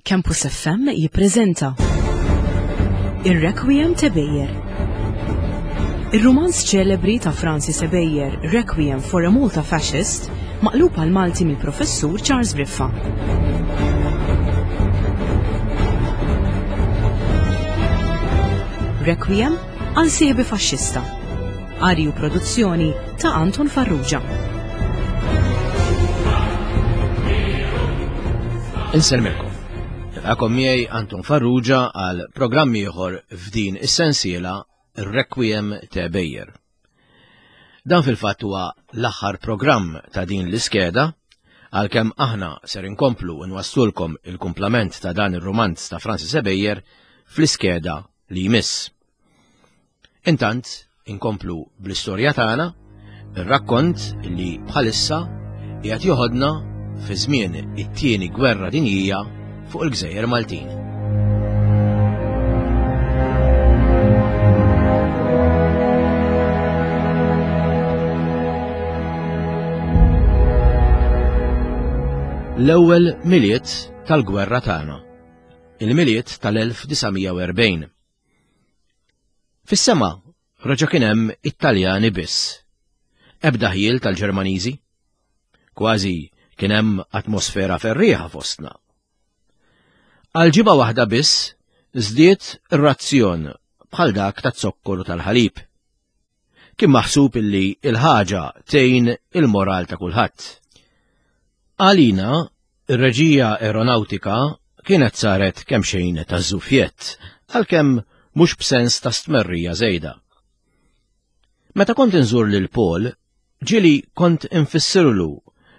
Campus FM jippreżenta Ir-Requiem ta' Beyer. Ir-rumanz ċelebri ta' Francis Ebejer, Requiem for a Malta Fascist, maqlub għal Malti mill-Professur Charles Briffa. Requiem għal sieħbi faxxista. Qari u produzzjoni ta' Anton Farrugia. Insellmilkom. Nilqakom miegħi Anton Farrugia għal programm ieħor f'din is-sensiela Requiem te Bejer. Dan fil-fatt huwa l-aħħar programm ta' din l-iskeda għalkemm aħna ser inkomplu nwasslulkom il-kumplament ta' dan ir-rumanz ta' Francis Ebejer fl-iskeda li jmiss. Intant, inkomplu bl-istorja tagħna, ir-rakkont li bħalissa qiegħed joħodna fi żmien it-tieni gwerra dinjija fuq il-Gżejjer Maltin. L-ewwel Milied tal-gwerra tagħna. Il-Milied tal-1940. Fis-sema reġa' kien hemm it-Taljani biss. Ebda ħjiel tal-Ġermaniżi. Kważi kien hemm atmosfera ferrieħa fostna. Għal ġimgħa waħda biss żdied ir-razzjon bħal dak taz-zokkor u tal-ħalib. Kien maħsub illi il-ħaġa tgħin il-moral ta' kulħadd. Għalina, ir-reġija aeronawtika kienet saret kemxejn ta' żufjett, għalkemm mhux b'sens ta' stmerrija żejda. Meta kont inżur lil Paul, ġieli kont infissirlu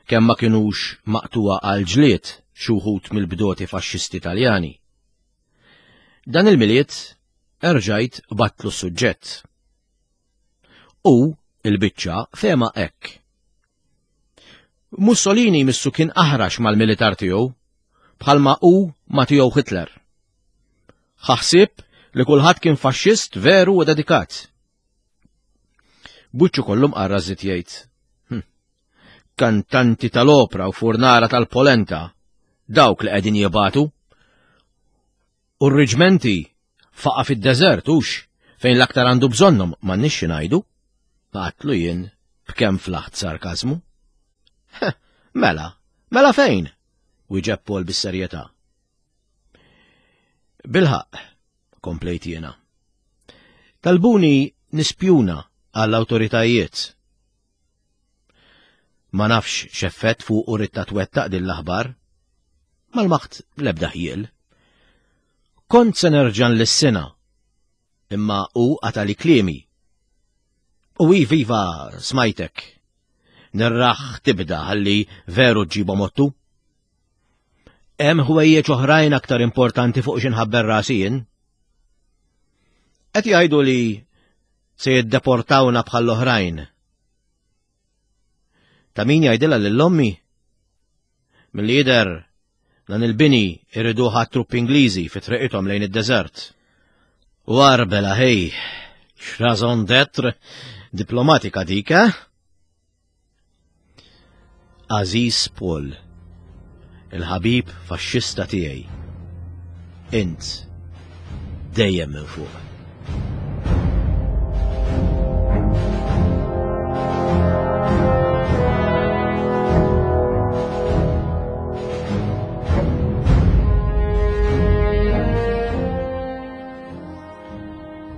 kemm ma kinux maqtuwa għal ġlied xi wħud mill-bdoti faxxisti Taljani. Dan il-Milied erġajt battlu s-suġġett. U il-biċċa fehma hekk. Mussolini missu kien aħrax mal-militar tiegħu bħalma hu ma tiegħu Hitler. Ħa ħsieb li kulħadd kien faxxist veru u dedikat. Buċċu kollu mqarra żied jgħid. Hm. Kantanti tal-opra u furnara tal-polenta, dawk li qegħdin jibatu. U r-riġmenti faqa fid-deżert hux fejn l-aktar għandu bżonnhom m'għandniex xi ngħidu. Għatlu jien b'kemm flaħt sarkażmu. Mela, mela fejn? Wieġeb Paul bis-serjetà. Bilħaq, komplejt jiena. Talbuni nispjuna għall-awtoritajiet. Ma nafx x'effett fuq u ritta twettaq din l-aħbar. Mal-maħt l-ebda ħjiel. Kont se nerġa' nlissina, imma hu qatali kliemi. U hi viva smajtek. Nirraħ tibda ħalli veru ġġibhom ottu. Hemm ħwejjeġ oħrajn aktar importanti fuq xi nħabber rasi jien. Qed jgħidu li se jiddeportawna bħall-oħrajn. Ta' min jgħidilha lil ommi? Milli jidher dan il-bini iriduha truppi Ingliżi fi triqithom lejn id-deżert. U arbela ħej, x'raison d'être diplomatika dik, eh? Għażiż Paul, il-ħabib faxxista tiegħi. Int dejjem minn fuq.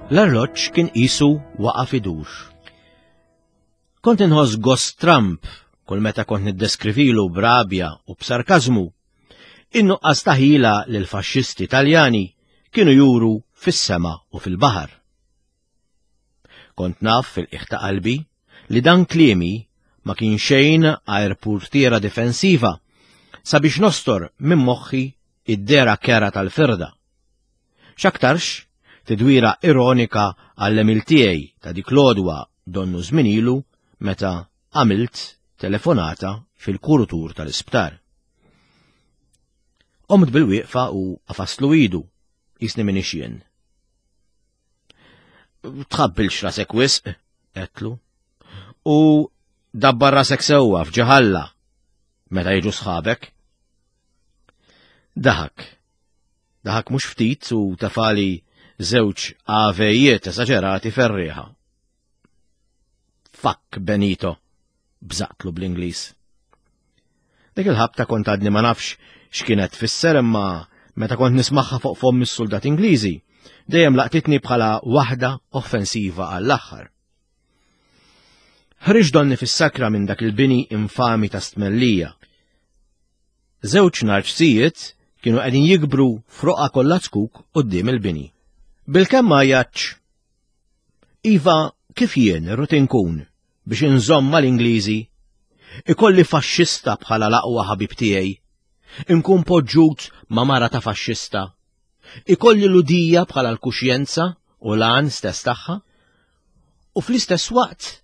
L-arloġġ kien qisu waqa' idur. Kont inħoss gost stramb kull meta kont niddeskrivilu b'rabja u b'sarkażmu in-nuqqas ta' ħila li l-faxxisti Taljani kienu juru fis-sema u fil-baħar. Kont naf fil-qiegħ ta' qalbi li dan kliemi ma kien xejn għajr purtiera difensiva sabiex nostor minn moħħi id-dehra kerha tal-firda. X'aktarx, tidwira ironika għall-għemil tiegħi ta' dik l-għodwa donnu żmien ilu meta għamilt telefonata fil-kurutur tal-isptar. Qomt bil-wieqfa u qafastlu idu, qisni m'iniex jien. Tħabbilx rasek wisq, għedtlu. U dabbar rasek sewwa f'ġeħalla meta jiġu sħabek. Daħak. Daħak mhux ftit u tafali żewġ avejiet esaġerati ferrieħa. Fuck Benito, bżaqtlu bl-Ingliż. Dik il-ħabta kont għadni ma nafx x'kienet tfisser imma meta kont nismagħha fuq fomm is-suldat Ingliżi, dejjem laqtitni bħala waħda offensiva għall-aħħar. Ħriġ donni fis-sakra minn dak il-bini infami ta' stmellija. Żewġ narċsijiet kienu qegħdin jikbru f'roqgħa kollha zkuk quddiem il-bini. Bilkemm ma għajjatx. Iva, kif jien irrid inkun biex inżomm mal-Ingliżi? Ikolli faxxista bħala l-aqwa ħabib tiegħi. Inkun poġġut ma' mara ta' faxxista. Ikolli l-udija bħala l-kuxjenza u l-għan stess tagħha. U fl-istess waqt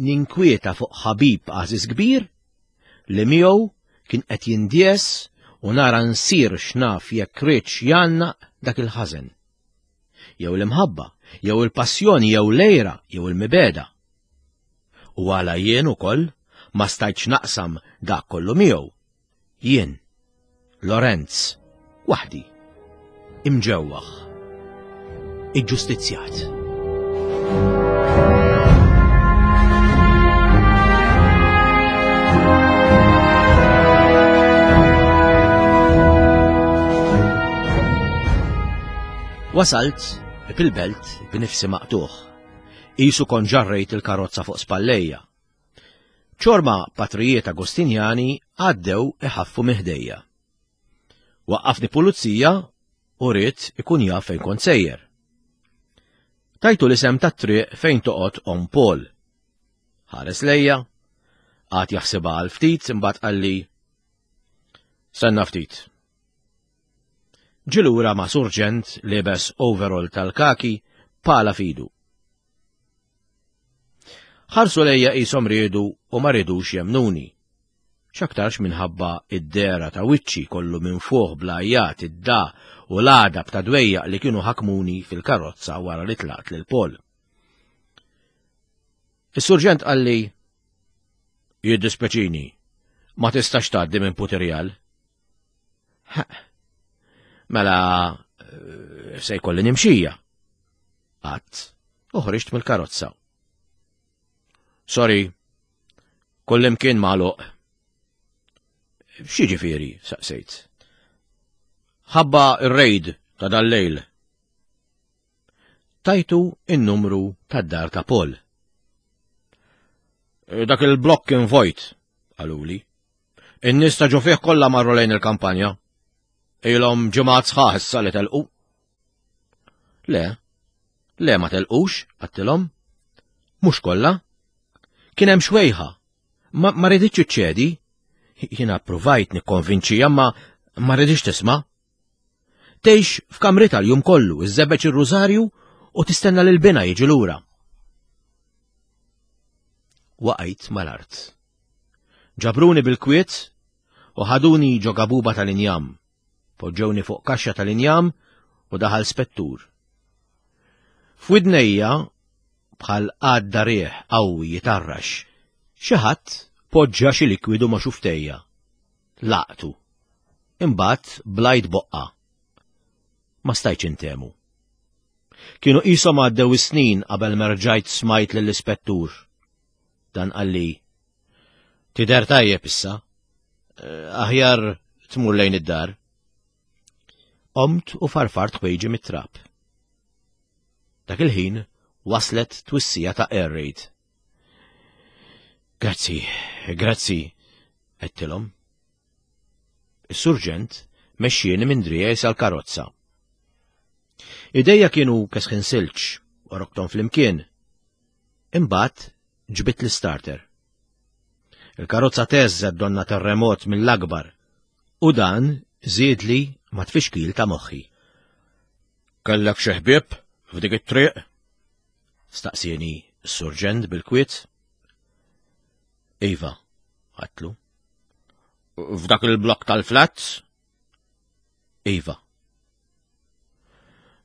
ninkwieta fuq ħabib għażiż kbir li miegħu kien qed jindies u nara nsir x'naf jekk riedx jgħannaq dak il-ħażen. Jew l-imħabba, jew il-passjoni, jew l-għira, jew il-mibegħda. U għala jien ukoll ma stajtx naqsam dak kollu miegħu. Jien, Lorenz, waħdi, imġewwaħ, iġġustizzjat. Wasalt fil-belt b'nifsi maqtugħ. Qisu kont ġarrejt il-karozza fuq spallejja. Ċorma patrijiet Agostinjani għaddew iħaffu minn ħdejja. Waqqafni pulizija u ried ikun jaf fejn kont sejjer. Tajtu l-isem tat-triq fejn toqgħod Om Paul. Ħares lejja, qagħad jaħsibha għal ftit imbagħad qalli Senna ftit. Ġie lura ma' surġent liebes overall tal-kaki pala f'idu. Ħarsu lejja qishom riedu u ma riedux jemmnuni. X'aktarx minħabba id-dehra ta' wiċċi kollu minfuħ bl-għajjat, id-dagħa u l-għadab ta' dwejjaq li kienu ħakmuni fil-karozza wara li tlaqt lil Paul. Is-surġent qalli, Jiddispeċini, ma tistax tgħaddi minn Putirjal. Mela, eh, se jkolli nimxija. Għat, u ħriġt mill-karozza. Sorry, kullimkien magħluq. X'jiġifieri, saqsejt. Ħabba ir-raid ta' dal-lejl. Tajtu in-numru tad-dar ta' Paul. Eh, dak il-blokk kien vojt, qaluli. In-nies ta' ġo fih kollha marru lejn il-kampanja. Ilhom ġimgħat sħaħ issa li telqu. Le, le ma telqux, għattilhom. Mhux kollha. Kien hemm xwejħa. Ma, ma riditx iċċedi. Jiena ppruvajt nikkonvinċija ma ma riditx tisma'. Tgħix f'kamritha l-jum kollu, iżżebbeġ ir-rużarju u tistenna lil binha jiġi lura. Waqajt mal-art. Ġabruni bil-kwiet u ħaduni ġo gabuba tal-injam. Poġġewni fuq kaxxa tal-injam u daħal spettur. F'widnejja bħal għadda riħ qawwi jitarrax. Xi ħadd poġġa xi likwidu ma' xuftejja. Laqtu. Imbagħad blajt boqqa. Ma stajtx intemu. Kienu qishom għaddew is-snin qabel ma rġajt smajt lill-ispettur. Dan qalli, Tidher tajjeb issa. Eh, aħjar tmur lejn id-dar. Qomt u farfart ħwejġi mit-trab. Dak il-ħin waslet twissija ta' air raid. Grazzi, grazzi, għedtilhom. Is-surġent mexxieni minn driegħi sal-karozza. Idejja kienu kesħin silġ u roktom flimkien. Imbagħad ġbidt l-istarter. Il-karozza teżżet donna terremot mill-akbar u dan żiedli ma' tfixkil ta' moħħi. Kellek xi ħbieb f'dik it-triq? Staqsieni s-surġent bil-kwiet. Iva, għatlu. F'dak il-blok tal-flats? Iva.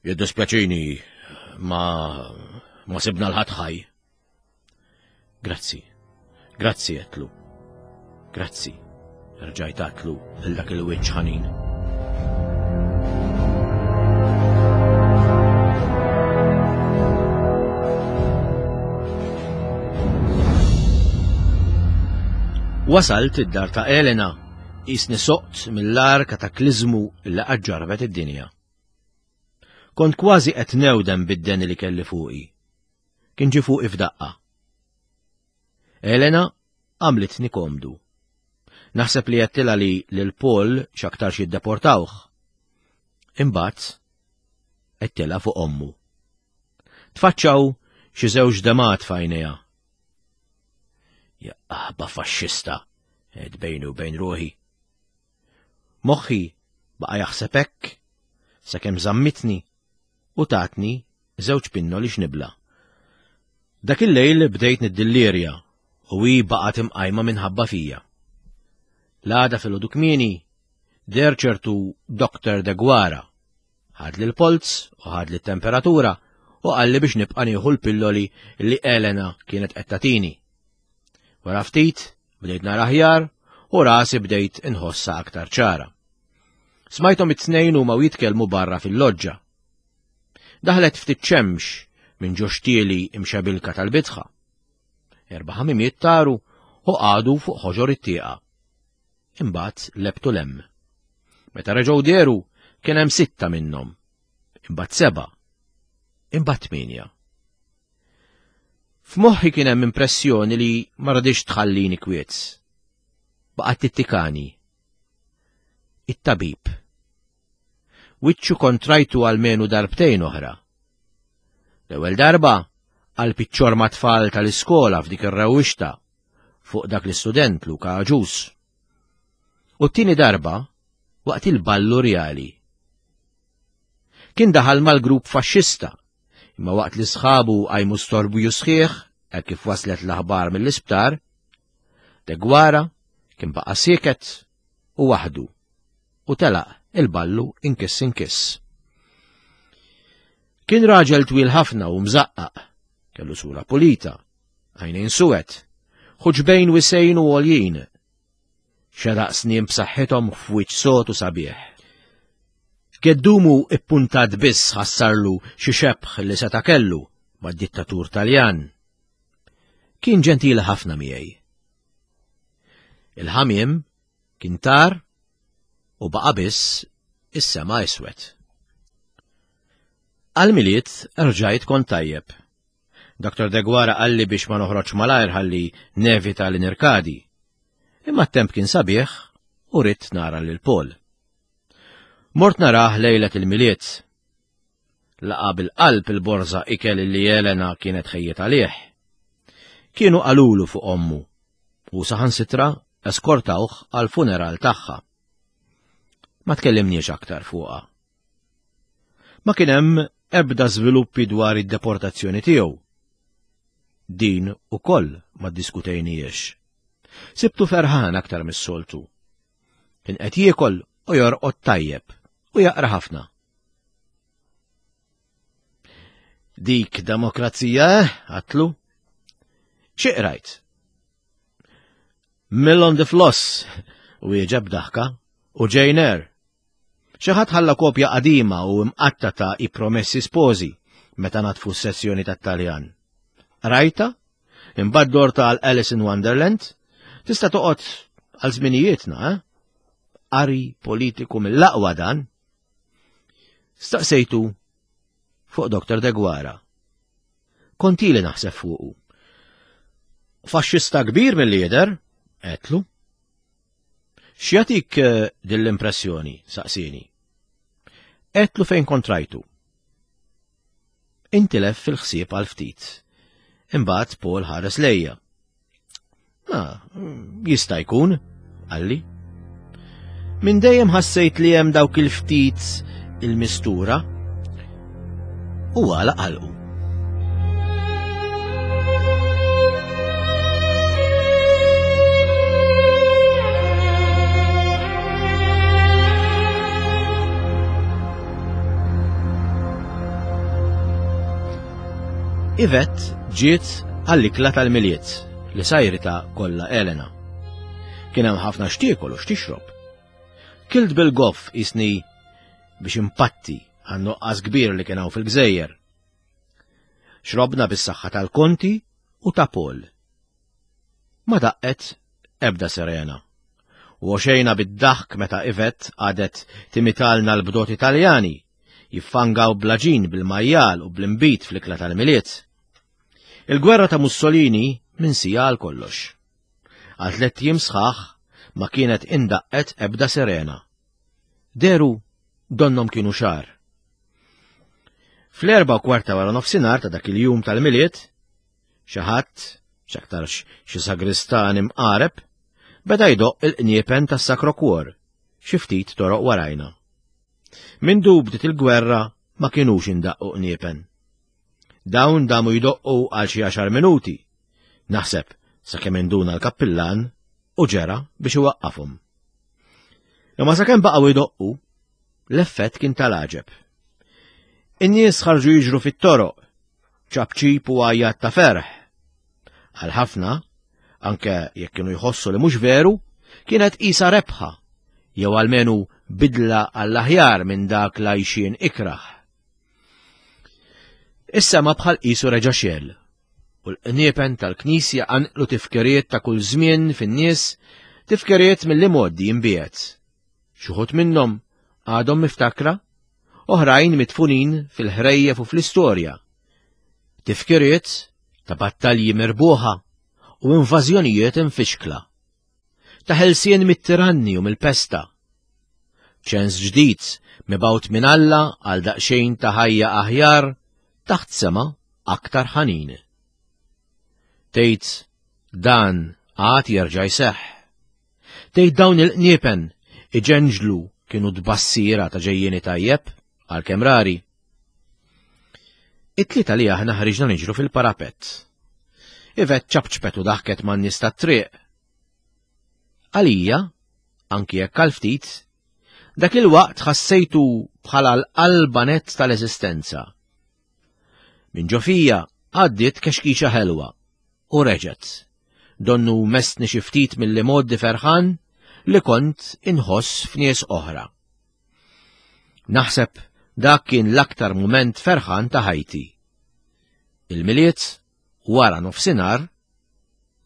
Jiddispjaċini ma ma sibna l-ħadd ħaj. Grazzi. Grazzi għetlu. Grazzi. Rġajt għatlu lil dak il-wiċċ ħanin. Wasalt id-dar ta' Elena, jisni soqt mill-ar kataklizmu li qatt ġarrbet id-dinja. Kont kważi qed newdem bid-deni li kelli fuqi. Kien ġie fuqi f'daqqa. Elena għamlitni komdu. Naħseb li għedtilha li lil Paul x'aktarx jiddeportawh. Imbagħad għedtilha fuq ommu. Tfaċċaw xi żewġ demat f'għajnejha. Ja aħba faxxista, għedt bejni u bejn ruħi. Moħħi baqa' jaħseb hekk sakemm żammitni u tatni żewġ pinnoli x'nibla'. Dak il-lejl bdejt niddillirja u hi baqgħet imqajma minħabba fija. L-għada filgħodu kmieni deher ċertu Dr. Deguara. Ħadli l-polz u ħadli t-temperatura u qalli biex nibqa' nieħu l-pilloli li Elena kienet qed tagħtini. Wara ftit bdejt nara aħjar u rasi bdejt inħossha aktar ċara. Smajthom it-tnejn huma u jitkellmu barra fil-loġġa. Daħlet ftit xemx minn ġo xtieli imxebilka tal-bitħa. Erba' ħamimiet taru u qagħdu fuq ħoġor it-tieqa. Imbagħad lebtu 'l hemm. Meta reġgħu dehru kien hemm sitta minnhom. Imbagħad seba'. Imbagħad tmienja. F'moħħi kien hemm impressjoni li ma radix tħallini kwiet. Baqgħet tittikani. It-tabib. Wiċċu kont rajtu almenu darbtejn oħra. L-ewwel darba għal piċċor ma' tfal tal-iskola f'dik ir-rewwixta fuq dak l-istudent Luka Aġus. U t-tieni darba waqt il-ballu rjali. Kien daħal mal-grupp faxxista Imma waqt li sħabu qajmu storbju sħiħ hekk kif waslet l-aħbar mill-isptar, Deguara kien baqa' sieket u waħdu u telaq il-ballu inkiss inkiss. Kien raġel twil ħafna u mżaqqaq, kellu sura pulita, għajnejn suwed, ħuġbejn wisejn u għoljin, Xeraq snien b'saħħithom f'wiċċ sod u sabiħ. Geddumu ippuntat biss ħassarlu xi xebh li seta' kellu mad-dittatur Taljan. Kien ġentili ħafna miegħi. Il-ħamiem kien tar u baqa' biss is-sema iswed. Għall-Milied rġajt kont tajjeb. Dr. Deguara qalli biex ma noħroġx malajr ħalli nevita li nirkadi. Imma t-temp kien sabiħ u ridt nara lil Paul. Mort narah lejlet il-Milied. Laqa' bil-qalb il-borża ikel li Elena kienet ħejjiet għalih. Kienu qalulu fuq ommu u saħansitra eskortawh għall-funeral tagħha. Ma tkellimniex aktar fuqha. Ma kien hemm ebda żviluppi dwar id-deportazzjoni tiegħu. Din ukoll ma ddiskutejnijiex. Sibtu ferħan aktar mis-soltu. Kien qed jiekol u jorqod tajjeb u jaqra ħafna. Dik demokrazija, eh? Għatlu. Xi qrajt? Mill on the floss, wieġeb daħka, u Jane Eyre. Xi ħadd ħalla kopja qadima u imqatta ta' I Promessi Sposi meta natfu s-sessjoni tat-Taljan. Qrajtha? Imbagħad dorta għal Alice in Wonderland? Tista' toqgħod għal żminijietna, eh? Qari politiku mill-aqwa dan. Staqsejtu fuq Dr. Deguara. Kont ili naħseb fuqu. Faxxista kbir mill-lider, għedtlu. X'jagħtik eh, din l-impressjoni? saqsieni. Għedtlu fejn kont rajtu. Intilef fil-ħsieb għal ftit. Imbagħad Paul ħares lejja. Ah, jista' jkun, qalli. Minn dejjem ħassejt li hemm dawk il-ftit il-mistura u għala qalqu. Yvette ġiet għall-ikla tal-Milied li sajrita kollha Elena. Kien hemm ħafna x'tiekol u x'tixrob. Kilt bil-goff isni biex impatti għan-nuqqas kbir li kien hawn fil-gżejjer. Xrobna bis-saħħa tal-Konti u ta' Paul. Ma daqqet Ebda sirena. U għoxejna bid-daħk meta Yvette qagħdet timitalna l-bdot Italjani, jiffangaw bl-għaġin, bil-majjal u bl-inbid fl-ikla tal-Milied. Il-gwerra ta' Mussolini minsija għal kollox. Għal tlett ijiem sħaħ ma kienet indaqqet ebda sirena. Dehru donnhom kienu xahar. Fl-erba' u kwarta wara nofsinhar ta' dak il-jum tal-Milied, xi ħadd, x'aktarx xi sagristan imqareb, beda jdoqq il-qniepen tas-Sacro Cuor xi ftit toroq warajna. Mindu bdiet il-gwerra ma kinux indaqqu qniepen. Dawn damu jdoqqu għal xi għaxar minuti, naħseb sakemm induna l-kappillan u ġera biex iwaqqafhom. Imma sakemm baqgħu jdoqqu, l-effett kien tal-għaġeb. In-nies ħarġu jiġru fit-toroq, ċapċip u għajjat ta' ferħ. Għal ħafna, anke jekk kienu jħossu li mhux veru, kienet qisha rebħa, jew almenu bidla għall-aħjar minn dak l-għajxien ikrah. Is-sema bħal qisu reġa' xegħel, u l-qniepen tal-knisja qanqlu tifkiriet ta' kull żmien fin-nies, tifkiriet mill-imgħoddi imbiegħed. Xi wħud minnhom għadhom miftakra, oħrajn midfunin fil-ħrejjef u fl-istorja. Tifkiriet ta' battalji mirbuħa u invażjonijiet imfixkla. Ta' ħelsien mit-tiranni u mill-pesta. Ċens ġdid mibgħut minn Alla għal daqsxejn ta' ħajja aħjar taħt sema aktar ħanin. Tgħid dan għad jerġa' jseħħ. Tgħid dawn il-qniepen iġenġlu kienu tbassira ta' ġejjieni tajjeb għalkemm rari. It-tlieta li aħna ħriġna niġru fil-parapett. Ivet ċapċpet u daħket man-nies tat-triq. Għalija, anki jekk għal ftit, dak il-waqt ħassejtu bħala l-qalba nett tal-eżistenza. Minn ġo fija għaddiet kexkixa ħelwa u reġgħet. Donnu messni xi ftit mill-imgħoddi ferħan li kont inħoss f'nies oħra. Naħseb dak kien l-aktar mument ferħan ta' ħajti. Il-Milied wara nofsinhar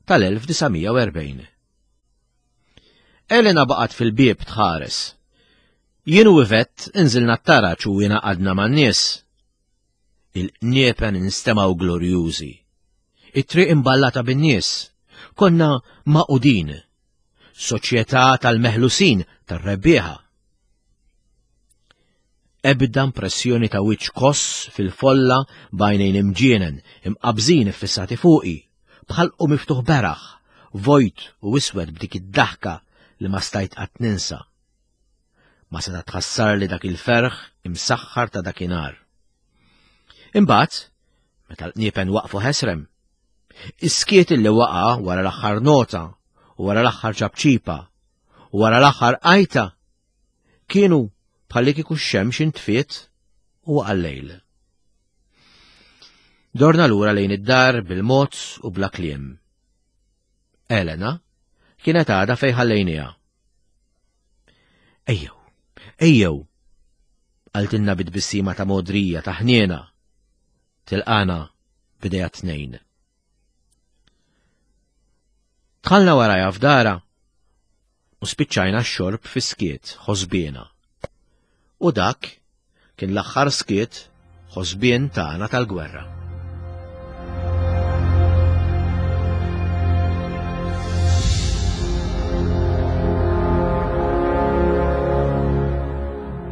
tal-1940. Elena baqgħet fil-bieb tħares. Jien u Yvette inżilna t-taraġ u ingħaqadna man-nies. Il-qniepen instemgħu glorjużi. It-triq imballata bin-nies. Konna magħqudin. Soċjetà tal-meħlusin tar-rebbieħa. Ebda impressjoni ta' wiċċ koss fil-folla b'għajnejn imġienen, imqabbżin iffissati fuqi, b'ħalqu miftuħ beraħ, vojt u iswed b'dik id-daħka li ma stajt qatt ninsa. Ma seta' tħassarli dak il-ferħ imsaħħar ta' dakinhar. Imbagħad, meta l-qniepen waqfu ħesrem, is-skiet illi waqa' wara l-aħħar nota u wara l-aħħar ċapċipa u wara l-aħħar għajta kienu bħalli kieku x-xemx intfiet u waqa' l-lejl. Dorna lura lejn id-dar bil-mod u bla kliem. Elena kienet għadha fejn ħallejniha. Ejjew, ejjew, qaltilna bit-tbissima ta' mogħdrija ta' ħniena. Tilqana b'idejha t-tnejn. Dħalna warajha f'darha u spiċċajna x-xorb fi skiet ħosbiena. U dak kien l-aħħar skiet ħosbien tagħna tal-gwerra.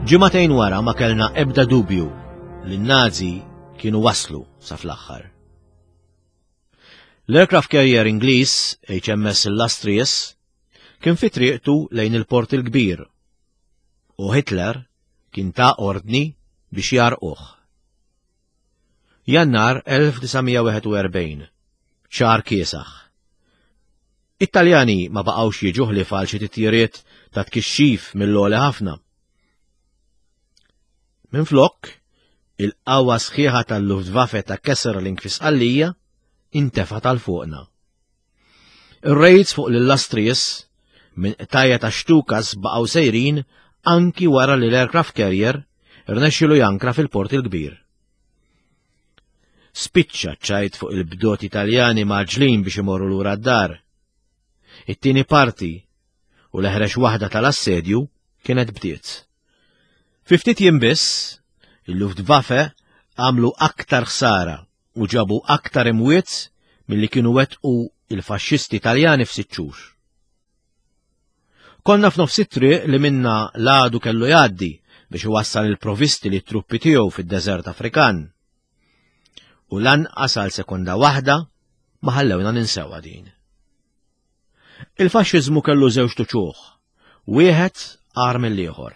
Ġimagħtejn wara ma kellna ebda dubju li n-Nazi kienu waslu sa fl-aħħar. L-aircraft carrier Ingliż HMS Illustrious kien fi triqtu lejn il-Port il-Kbir u Hitler kien ta ordni biex jgħarrquh. Jannar 1941, xahar kiesaħ. It-Taljani ma baqgħux jiġu ħlief għal xi titjiriet ta' tkixxif mill-għoli ħafna. Minflok, il-qawwa sħiħa tal-Luftwaffe ta' Kesselring fi Sqallija intefgħet għal fuqna. Ir-rejds fuq l-Illustrious minn qtajja ta' Stukas baqgħu sejrin anki wara li l-aircraft carrier rnexxielu jankra fil-Port il-Kbir. Spiċċa ċ-ċajt fuq il-bdoti Taljani mgħaġġlin biex imorru lura d-dar. It-tieni parti u l-eħrex waħda tal-assedju kienet bdiet. Fi ftit jiem biss, il-Luftwaffe għamlu aktar ħsara u ġabu aktar imwiet milli kienu wettqu il-faxxisti Taljani f'sitt xhur. Konna f'nofs it-triq li minna l-għadu kellu jgħaddi biex iwassal il-provisti li truppi tiegħu fid-deżert Afrikan. U lanqas għal sekonda waħda ma ħallewna ninsewha din. Il-faxxiżmu kellu żewġ tuċuħ, wieħed agħar mill-ieħor.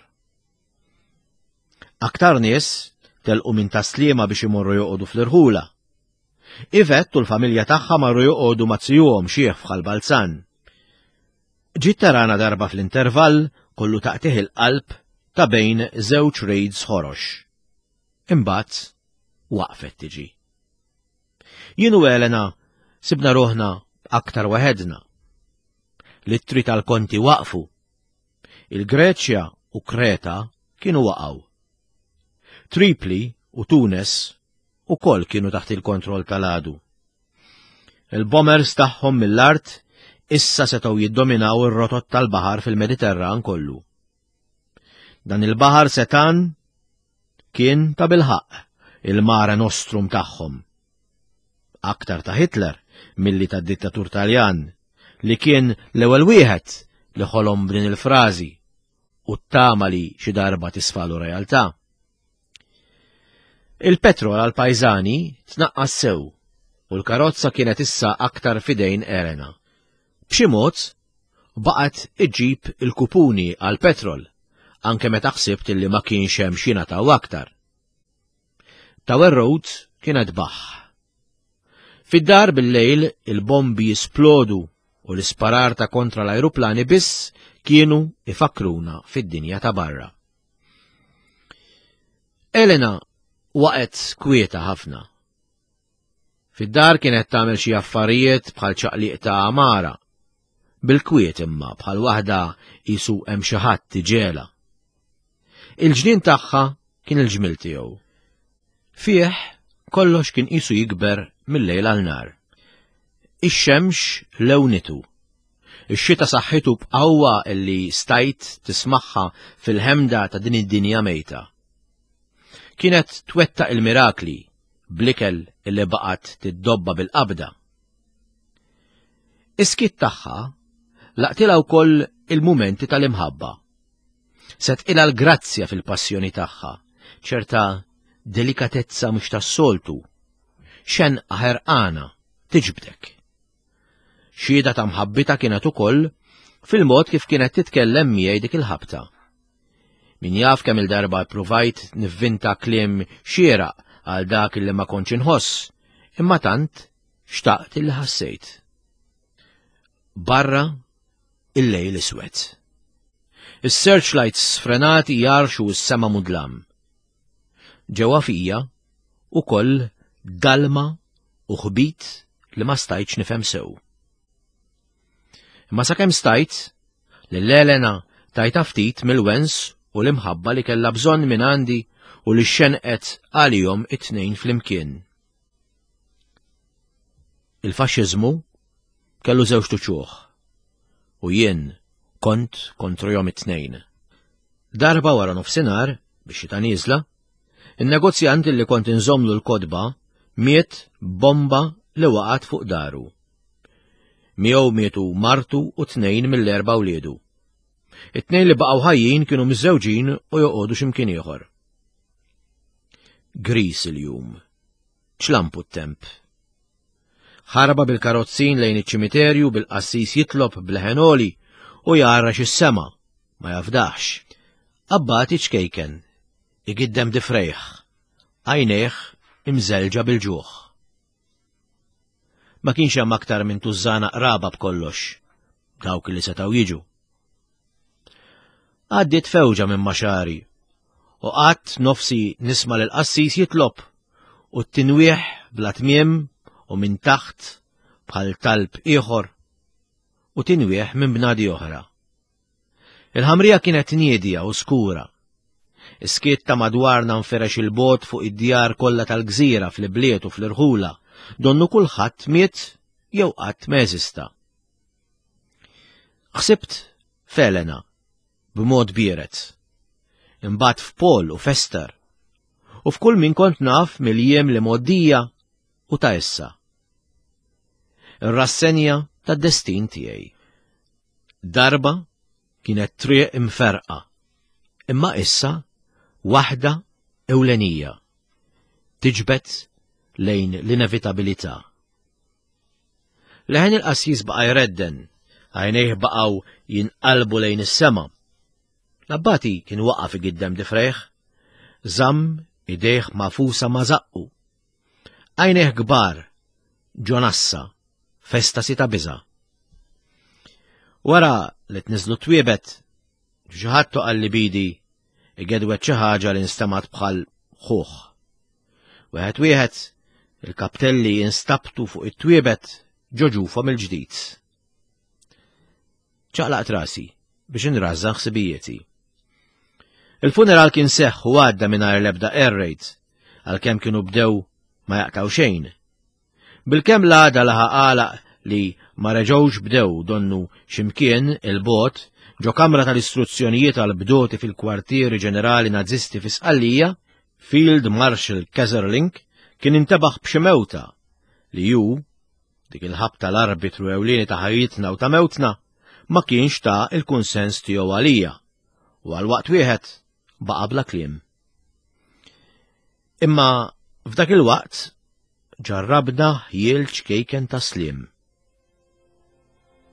Aktar nies telqu minn taslima biex imorru joqogħdu fl-irħula. Ivet u l-familja tagħha marru joqogħdu ma' zijuhom xieħ f'Ħal Balzan. Ġiet tarana darba fl-intervall kollu taqtih il-qalb ta' bejn żewġ raids ħorox. Imbagħad waqfet tiġi. Jien u Elena sibna ruħna aktar waħedna. L-ittri tal-konti waqfu. Il-Greċja u Kreta kienu waqgħu. Tripli u Tunes ukoll kienu taħt il-kontroll tal-għadu. Il-bombers tagħhom mill-art issa setgħu jiddominaw ir-rotot tal-baħar fil-Mediterran kollu. Dan il-baħar setan kien ta' bilħaqq il-mare nostrum tagħhom. Aktar ta' Hitler milli ta' dittatur Taljan li kien l-ewwel wieħed li ħolom b'din il-frażi u ttama li xi darba tisfalu realtà. Il-petrol għal pajżani tnaqqas sew u l-karozza kienet issa aktar fidejn Elena. B'xi mod baqgħet iġġib il-kupuni għal petrol anke meta ħsibt illi ma kienx hemm x'jingħataw aktar. Tower Road kienet baħ. Fid-dar bil-lejl il-bombi jisplodu u l-isparar ta' kontra l-ajruplani biss kienu ifakruna fid-dinja ta' barra. Elena waqgħet kwieta ħafna. Fid-dar kienet tagħmel xi affarijiet bħal ċaqliq ta' għamara. Bil-kwiet imma bħal waħda qisu hemm xi ħadd iġegħla. Il-ġnien tagħha kien il-ġmiel tiegħu. Fih kollox kien qisu jikber mill-lejl għal nhar. Ix-xemx lewnitu. Ix-xita saħħitu b'qawwa illi stajt tismagħha fil-ħemda ta' din id-dinja mejta. Kienet twettaq il-mirakli bl-ikel illi baqgħet tiddobba bil-qabda. Is-skiet tagħha laqtilha wkoll il-mumenti tal-imħabba. Setqilha l-grazzja fil-passjoni tagħha, ċerta delikatezza mhux tas-soltu, xenqa ħerqana tiġbdek. Xhieda ta' mħabbitha kienet ukoll fil-mod kif kienet titkellem miegħi dik il-ħabta. Min jaf kemm il-darba ppruvajt nivvinta kliem xieraq għal dak li ma kontx inħoss, imma tant xtaqt illi ħassejt. Barra il-lejl iswed. Is-searchlights sfrenati jarxu s-sema mudlam. Ġewwa fija ukoll dalma u ħbit li ma stajtx nifhem sew. Imma sakemm stajt, lil Elena tajta ftit mill-wens u l-imħabba li kellha bżonn minn għandi u li xenqet għalihom it-tnejn flimkien. Il-faxxiżmu kellu żewġ tuċuħ u jien kont kontrihom it-tnejn. Darba wara nofsinhar, biex xita nieżla, in-negozjant li kont inżomlu l-kotba miet bomba li waqgħet fuq daru. Miegħu mietu martu u tnejn mill-erba' wliedu. It-tnejn li baqgħu ħajjin kienu miżżewġin u joqogħdu x'imkien ieħor. Gris il-jum. Ċlampu t-temp. Ħarba bil-karozzin lejn iċ-ċimiterju bil-qassis jitlob b'leħen għoli u jgħarrax is-sema, ma jafdax. Abbati ċkejken, igiddem difrejh, għajnejh imżelġa bil-ġuħ. Ma kienx hemm aktar minn tużżana qraba b'kollox, dawk li setgħu jiġu. Għaddiet fewġa minn ma' xagħri u qgħadt nofsi nisma' lill-qassis jitlob u t-tinwieħ bla tmiem u minn taħt bħal talb ieħor u tinwieħ minn bnadi oħra. Il-ħamrija kienet niedja u skura. Is-skiet ta' madwarna nferex il-bogħod fuq id-djar kollha tal-gżira fl-ibliet u fl-irħula, donnu kulħadd miet jew qatt ma eżista. Ħsibt f'Elena b'mod biered. Imbagħad f'Paul u f'Ester u f'kull min kont naf mill-jiem li mgħoddija u ta' issa. Ir-rassenja tad-destin tiegħi. Darba kienet triq imferqa, imma issa waħda ewlenija tiġbed lejn l-inevitabilità. Leħen il-qassis baqa' jredden, għajnejh baqgħu jinqalbu lejn is-sema. L-abbati kien waqaf igiddem difrejh, żamm idejh magħfusa ma' żaqqu. Għajnejh kbar, ġo nassa, f'estasi ta' biża'. Wara li tniżlu twiebet, xi ħadd toqal li bidi igedwet xi ħaġa li nstemgħet bħal ħuħ. Wieħed wieħed, il-kaptelli instabtu fuq it-twiebet ġo ġufhom il-ġdid. Ċaqlaqt rasi biex inrażżan ħsibijieti. Il-funeral kien seħħ u għadda mingħajr l-ebda air raid, għalkemm kienu bdew ma jaqtaw xejn. Bilkemm l-għada laħaq għalaq li ma reġgħux bdew donnu x'imkien 'il bogħod ġo kamra tal-istruzzjonijiet għall-bdoti fil-kwartieri ġenerali Nazisti fi Sqallija, Field Marshal Kesserling kien intebaħ b'xi mewta li hu, dik il-ħabta l-arbitru ewlieni ta' ħajjitna u ta' mewtna, ma kienx ta l-kunsens tiegħu għalija u għal waqt wieħed baqa' bla kliem. Imma f'dak il-waqt ġarrabna ħjiel ċkejken ta' sliem.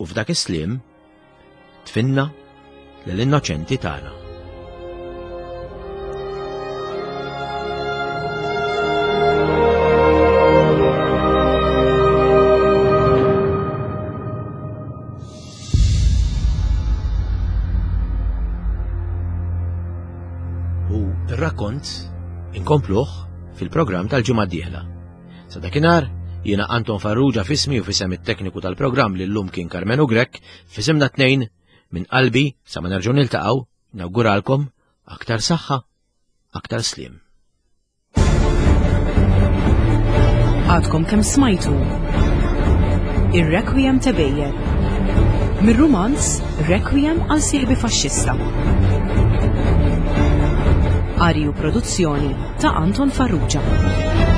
U f'dak is-sliem tfinna lill-innoċenti tagħna. U r-rakkont inkompluh fil-programm tal-ġimgħa d-dieħla. Sa dakinhar, jiena Anton Farrugia fismi u fisem it-tekniku tal-programm li llum kien Karmenu Grech, fisimna tnejn minn qalbi sa ma nerġgħu niltaqgħu, nawguralkom aktar saħħa, aktar sliem. Għadkom kemm smajtu Ir-Requiem ta' Bejjer. Mir-rumanz Requiem għal sieħbi faxxista. Qari u produzzjoni ta' Anton Farrugia.